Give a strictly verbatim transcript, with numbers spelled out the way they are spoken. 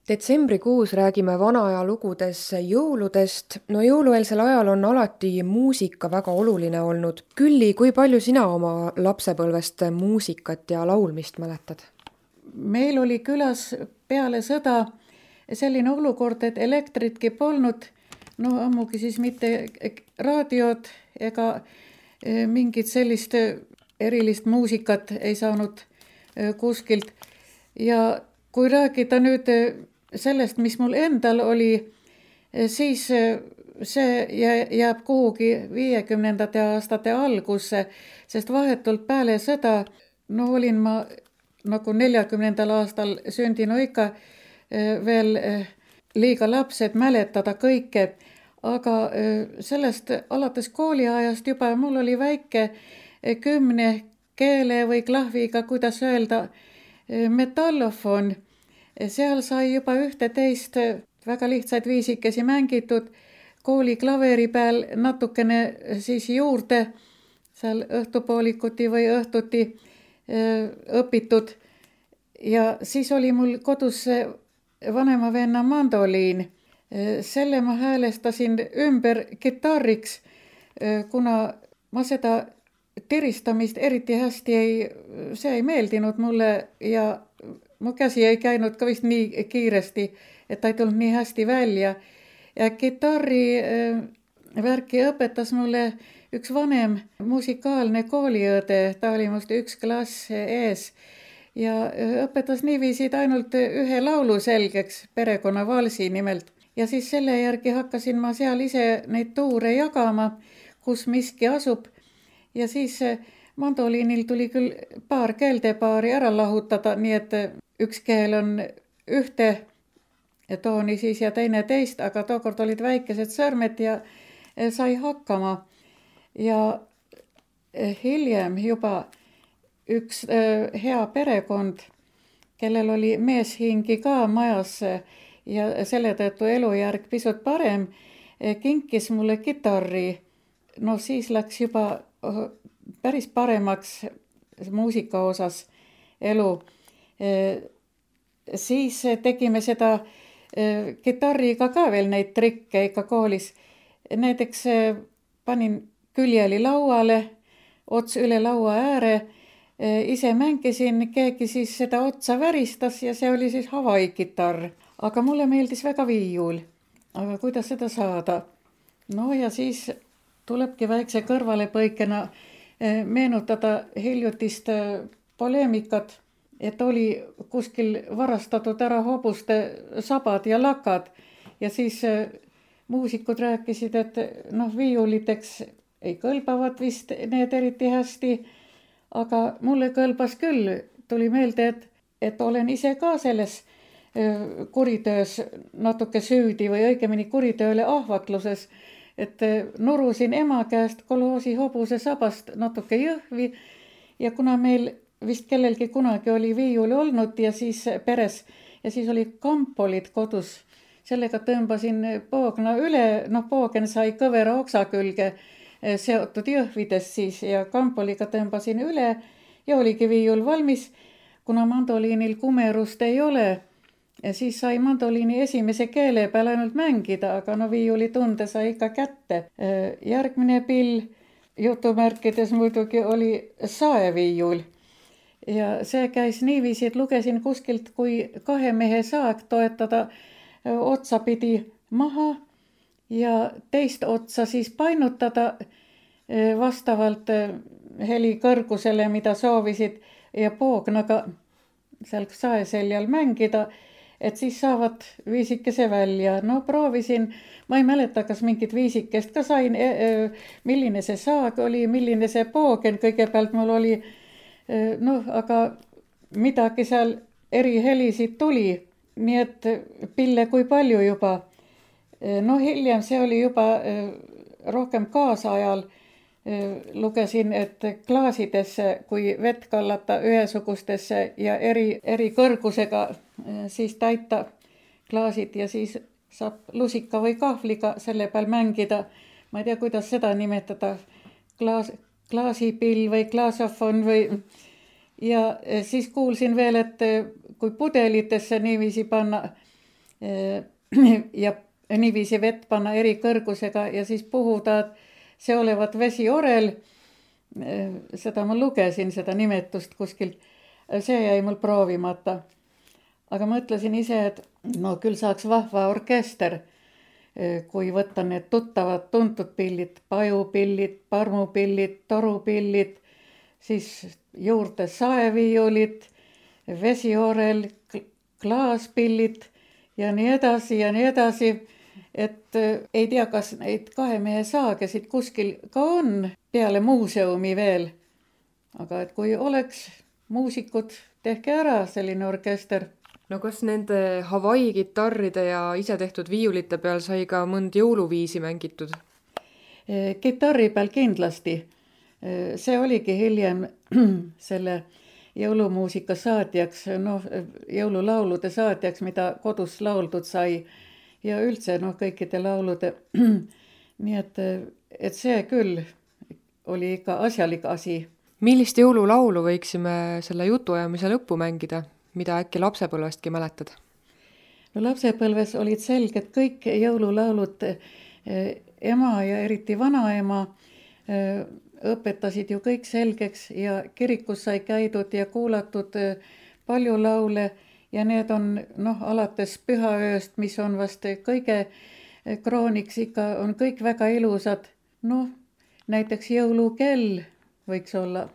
Detsembrikuus räägime vana aja lugudes jõuludest. No jõulueelsel ajal on alati muusika väga oluline olnud. Külli, kui palju sina oma lapsepõlvest muusikat ja laulmist mäletad? Meil oli külas peale sõda selline olukord, et elektritki polnud, no ammugi siis mitte raadiot ega mingit sellist erilist muusikat ei saanud kuskilt. Ja kui rääkida nüüd sellest, mis mul endal oli, siis see jääb kuhugi viiekümnendate aastate algusse, sest vahetult peale sõda, no olin ma nagu neljakümnendal aastal sündinu ikka veel liiga laps, et mäletada kõike, aga sellest alates kooliajast juba mul oli väike kümne keele või klahviga, kuidas öelda, metallofon. Seal sai juba ühte teist väga lihtsaid viisikesi mängitud, kooli klaveri peal natukene siis juurde, seal õhtupoolikuti või õhtuti õpitud. Ja siis oli mul kodus vanema venna mandoliin. Selle ma häälestasin ümber kitarriks, kuna ma seda tiristamist eriti hästi ei, see ei meeldinud mulle ja mu käsi ei käinud ka vist nii kiiresti, et ta ei tulnud nii hästi välja. Ja kitarri värki õpetas mulle üks vanem musikaalne kooliõde, ta oli must üks klass ees. Ja õpetas niiviisi ainult ühe laulu selgeks, perekonna valsi nimelt. Ja siis selle järgi hakkasin ma seal ise neid tuure jagama, kus miski asub. Ja siis mandoliinil tuli küll paar keeltepaari ära lahutada, nii et üks keel on ühte tooni siis ja teine teist, aga tookord olid väikesed sõrmed ja sai hakkama. Ja hiljem juba üks hea perekond, kellel oli meeshingi ka majas ja selle tõttu elujärg pisut parem, kinkis mulle kitarri. No siis läks juba päris paremaks muusika osas elu. Siis tegime seda kitarriga ka veel neid trikke ikka koolis. Näiteks panin küljeli lauale, ots üle laua ääre, ise mängisin, keegi siis seda otsa väristas ja see oli siis Hawaii kitarr. Aga mulle meeldis väga viiul. Aga kuidas seda saada? No ja siis tulebki väikse kõrvalepõikena meenutada hiljutist poleemikat, et oli kuskil varastatud ära hobuste sabad ja lakad. Ja siis muusikud rääkisid, et noh, viiuliteks ei kõlbavad vist need eriti hästi, aga mulle kõlbas küll. Tuli meelde, et, et olen ise ka selles kuritöös natuke süüdi või õigemini kuritööle ahvatluses, et nurusin ema käest koloosi hobuse sabast natuke jõhvi ja kuna meil vist kellelgi kunagi oli viiul olnud ja siis peres ja siis oli kampolid kodus, sellega tõmbasin poogna üle, noh poogen sai kõvera oksa külge seotud jõhvides siis ja kampoliga tõmbasin üle ja oligi viiul valmis, kuna mandoliinil kumerust ei ole. Ja siis sai mandoliini esimese keele peal ainult mängida, aga no viiuli tunde sai ikka kätte. Järgmine pill jutumärkides muidugi oli saeviiul. Ja see käis niiviisi, et lugesin kuskilt, kui kahe mehe saag toetada otsapidi maha ja teist otsa siis painutada vastavalt heli kõrgusele, mida soovisid ja poognaga seal saeseljal mängida, et siis saavad viisikese välja. No proovisin, ma ei mäleta, kas mingit viisikest ka sain, milline see saag oli, milline see poogen kõigepealt mul oli, noh, aga midagi seal eri helisid tuli, nii et pille kui palju juba. No hiljem see oli juba rohkem kaasajal, lugesin, et klaasidesse, kui vett kallata ühesugustesse ja eri, eri kõrgusega, siis täita klaasid ja siis saab lusika või kahvliga selle peal mängida. Ma ei tea, kuidas seda nimetada, klaas, klaasipill või klaasofon või ja siis kuulsin veel, et kui pudelitesse niiviisi panna ja niiviisi vett panna eri kõrgusega ja siis puhuda, see olevat vesiorel. Seda ma lugesin, seda nimetust kuskilt. See jäi mul proovimata. Aga mõtlesin ise, et no küll saaks vahva orkester, kui võtta need tuttavad tuntud pillid, pajupillid, parmupillid, torupillid, siis juurde saeviiulid, vesiorel, klaaspillid ja nii edasi ja nii edasi. Et ei tea, kas neid kahe mehe saagesid kuskil ka on peale muuseumi veel. Aga et kui oleks muusikud, tehke ära selline orkester. No kas nende Hawaii kitarride ja ise tehtud viiulite peal sai ka mõnd jõuluviisi mängitud? Kitarri peal kindlasti. See oligi hiljem selle jõulumuusika saatjaks, no, jõululaulude saatjaks, mida kodus lauldud sai ja üldse no, kõikide laulude. Nii et, et see küll oli ikka asjalik asi. Millist jõululaulu võiksime selle jutuajamise lõppu mängida, mida äkki lapsepõlvestki mäletad? No lapsepõlves olid selged kõik jõululaulud. Ema ja eriti vanaema õpetasid ju kõik selgeks ja kirikus sai käidud ja kuulatud palju laule ja need on noh, alates pühaööst, mis on vast kõige krooniks ikka, on kõik väga ilusad. Noh, näiteks jõulukell võiks olla.